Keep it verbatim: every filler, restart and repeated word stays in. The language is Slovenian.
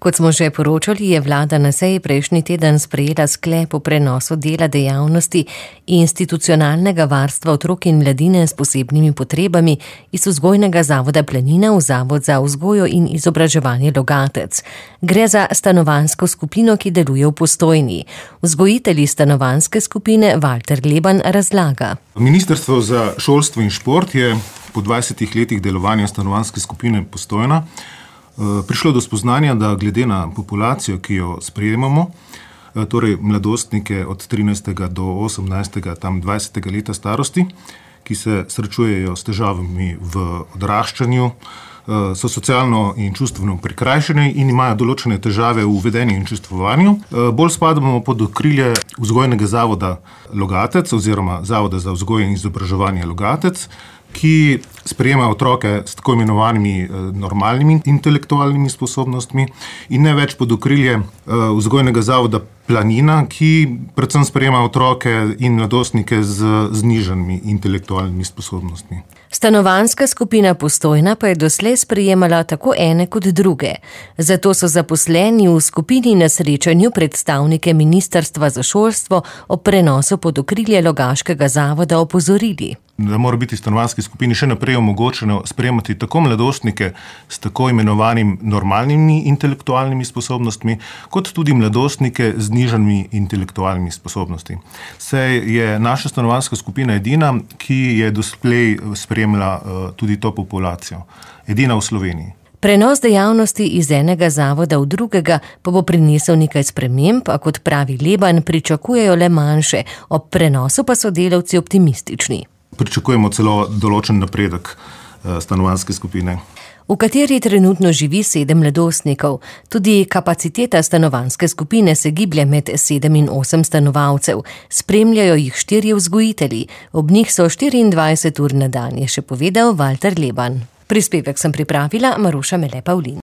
Kot smo že poročali, je vlada na seji prejšnji teden sprejela sklep o prenosu dela dejavnosti institucionalnega varstva otrok in mladine s posebnimi potrebami iz vzgojnega zavoda Planina v Zavod za vzgojo in izobraževanje Logatec. Gre za stanovanjsko skupino, ki deluje v Postojni. Vzgojitelji stanovanjske skupine Valter Leban razlaga. Ministrstvo za šolstvo in šport je po dvajsetih letih delovanja stanovanjske skupine Postojna prišlo do spoznanja, da glede na populacijo, ki jo sprejemamo, torej mladostnike od trinajstega do osemnajstega, tam dvajsetega leta starosti, ki se srečujejo s težavami v odraščanju, so socialno in čustveno prikrajšani in imajo določene težave v vedenju in čustvovanju. Bolj spadamo pod okrilje vzgojnega zavoda Logatec oziroma Zavoda za vzgojo in izobraževanje Logatec, ki sprejema otroke s tako imenovanimi normalnimi intelektualnimi sposobnostmi in ne več pod okrilje vzgojnega zavoda Planina, ki predvsem sprejema otroke in mladostnike z znižanimi intelektualnimi sposobnostmi. Stanovanjska skupina Postojna pa je doslej sprejemala tako ene kot druge. Zato so zaposleni v skupini na srečanju predstavnike Ministrstva za šolstvo o prenosu pod okrilje Logaškega zavoda opozorili. Da mora biti stanovanjski skupini še naprej omogočeno sprejemati tako mladostnike s tako imenovanimi normalnimi intelektualnimi sposobnostmi, kot tudi mladostnike z znižanimi intelektualnimi sposobnostmi. Saj je naša stanovanjska skupina edina, ki je doslej spremljala tudi to populacijo. Edina v Sloveniji. Prenos dejavnosti iz enega zavoda v drugega pa bo prinesel nekaj sprememb, a kot pravi Leban, pričakujejo le manjše, ob prenosu pa so delavci optimistični. Pričakujemo celo določen napredek stanovanjske skupine, v kateri trenutno živi sedem mladostnikov. Tudi kapaciteta stanovanjske skupine se giblje med sedem in osem stanovalcev. Spremljajo jih štirje vzgojitelji. Ob njih so štiriindvajset ur na dan, je še povedal Valter Leban. Prispevek sem pripravila Maruša Mele Pavlin.